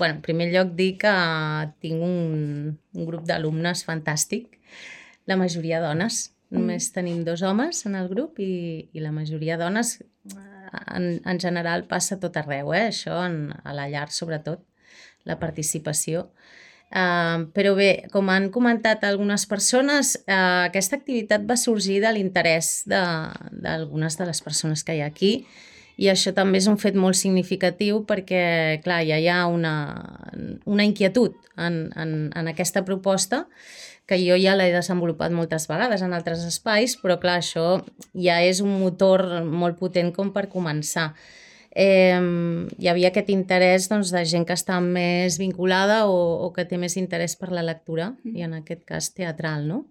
En primer lloc dir que tinc un grup d'alumnes fantàstic, la majoria dones. Només tenim 2 homes en el grup i la majoria dones. En general passa a tot arreu, això a la llar sobretot, la participació. Però bé, com han comentat algunes persones, aquesta activitat va sorgir de l'interès d'algunes de les persones que hi ha aquí i això també és un fet molt significatiu perquè, clar, ja hi ha una inquietud en aquesta proposta que jo ja l'he desenvolupat moltes vegades en altres espais, però clar, això ja és un motor molt potent com per començar. Hi havia aquest interès de gent que està més vinculada o que té més interès per la lectura i en aquest cas teatral, no?